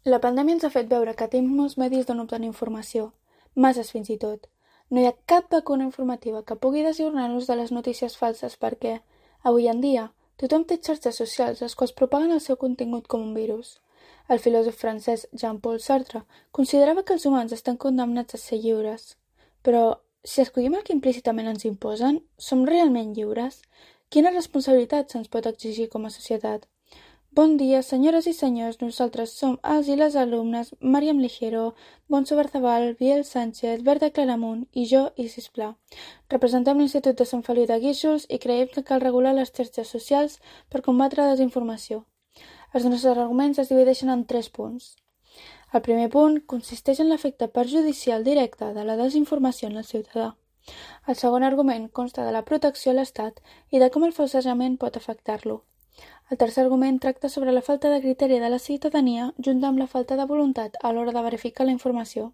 La pandèmia ens ha fet veure que tenim molts medis d'on obtenir informació, masses fins i tot. No hi ha cap vacuna informativa que pugui desajornar-nos de les notícies falses perquè, avui en dia, tothom té xarxes socials les quals propaguen el seu contingut com un virus. El filòsof francès Jean-Paul Sartre considerava que els humans estan condemnats a ser lliures. Però, si escollim el que implícitament ens imposen, som realment lliures? Quina responsabilitat se'ns pot exigir com a societat? Bon dia, senyores i senyors, nosaltres som els i les alumnes Màriam Ligero, Bonso Barzabal, Biel Sánchez, Berta Claramunt i jo, Isis Pla. Representem l'Institut de Sant Feliu de Guíxols i creiem que cal regular les xarxes socials per combatre la desinformació. Els nostres arguments es divideixen en 3 punts. El primer punt consisteix en l'efecte perjudicial directe de la desinformació en el ciutadà. El segon argument consta de la protecció a l'Estat i de com el falsejament pot afectar-lo. El tercer argument tracta sobre la falta de criteri de la ciutadania junt amb la falta de voluntat a l'hora de verificar la informació.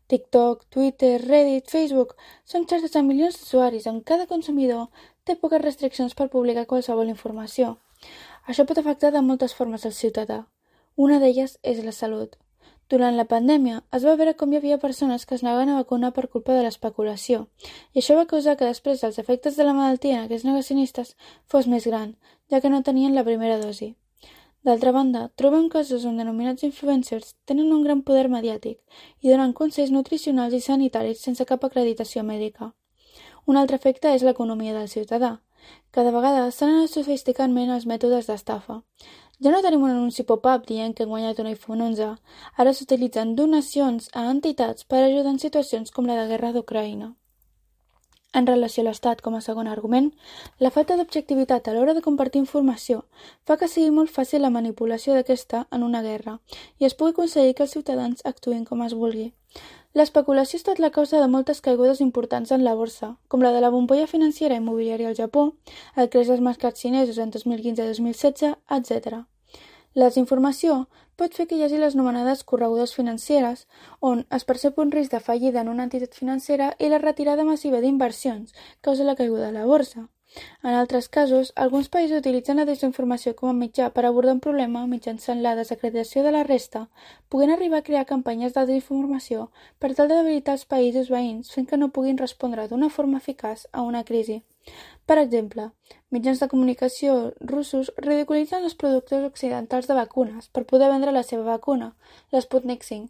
TikTok, Twitter, Reddit, Facebook són xarxes amb milions d'usuaris on cada consumidor té poques restriccions per publicar qualsevol informació. Això pot afectar de moltes formes al ciutadà. Una d'elles és la salut. Durant la pandèmia es va veure com hi havia persones que es negaven a vacunar per culpa de l'especulació, i això va causar que després els efectes de la malaltia en aquests negacionistes fos més gran, ja que no tenien la primera dosi. D'altra banda, trobem casos on denominats influencers tenen un gran poder mediàtic i donen consells nutricionals i sanitaris sense cap acreditació mèdica. Un altre efecte és l'economia del ciutadà. Cada vegada s'han anat sofisticant més els mètodes d'estafa. Ja no tenim un anunci pop-up dient que han guanyat un iPhone 11. Ara s'utilitzen donacions a entitats per ajudar en situacions com la de guerra d'Ucraïna. En relació a l'Estat com a segon argument, la falta d'objectivitat a l'hora de compartir informació fa que sigui molt fàcil la manipulació d'aquesta en una guerra i es pugui aconseguir que els ciutadans actuïn com es vulgui. L'especulació ha estat la causa de moltes caigudes importants en la borsa, com la de la bombolla financera immobiliària al Japó, el creix dels mercats xinesos en 2015-2016, etc. La desinformació pot fer que hi hagi les anomenades corregudes financeres, on es percep un risc de fallida en una entitat financera i la retirada massiva d'inversions causa la caiguda de la borsa. En altres casos, alguns països utilitzen la desinformació com a mitjà per abordar un problema mitjançant la desacreditació de la resta, podent arribar a crear campanyes de desinformació per tal de debilitar els països veïns fent que no puguin respondre d'una forma eficaç a una crisi. Per exemple, mitjans de comunicació russos ridiculitzen els productors occidentals de vacunes per poder vendre la seva vacuna, l'Sputnik V.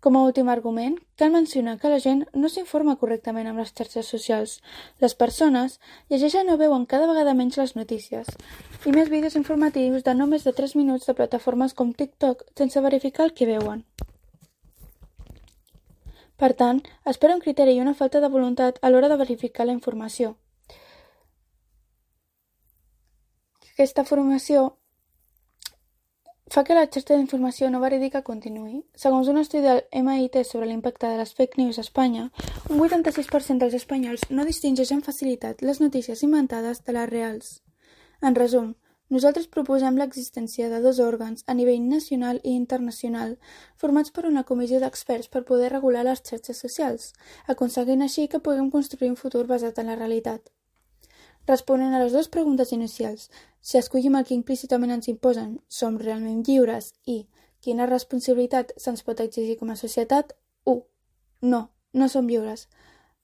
Com a últim argument, cal mencionar que la gent no s'informa correctament amb les xarxes socials. Les persones llegeixen o veuen cada vegada menys les notícies, i més vídeos informatius de no més de 3 minuts de plataformes com TikTok sense verificar el que veuen. Per tant, espera un criteri i una falta de voluntat a l'hora de verificar la informació. Aquesta formació fa que la xarxa d'informació no verídica continuï. Segons un estudi del MIT sobre l'impacte de les fake news a Espanya, un 86% dels espanyols no distingeix amb facilitat les notícies inventades de les reals. En resum, nosaltres proposem l'existència de 2 òrgans a nivell nacional i internacional formats per una comissió d'experts per poder regular les xarxes socials, aconseguint així que puguem construir un futur basat en la realitat. Responent a les 2 preguntes inicials, si escollim el que implícitament ens imposen, som realment lliures i quina responsabilitat se'ns pot exigir com a societat? 1. No som lliures.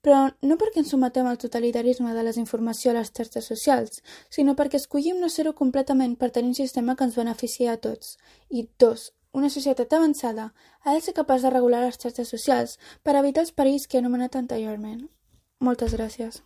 Però no perquè ens sometem al totalitarisme de la desinformació a les xarxes socials, sinó perquè escollim no ser-ho completament per tenir un sistema que ens beneficia a tots. I 2. Una societat avançada ha de ser capaç de regular les xarxes socials per evitar els perills que he anomenat anteriorment. Moltes gràcies.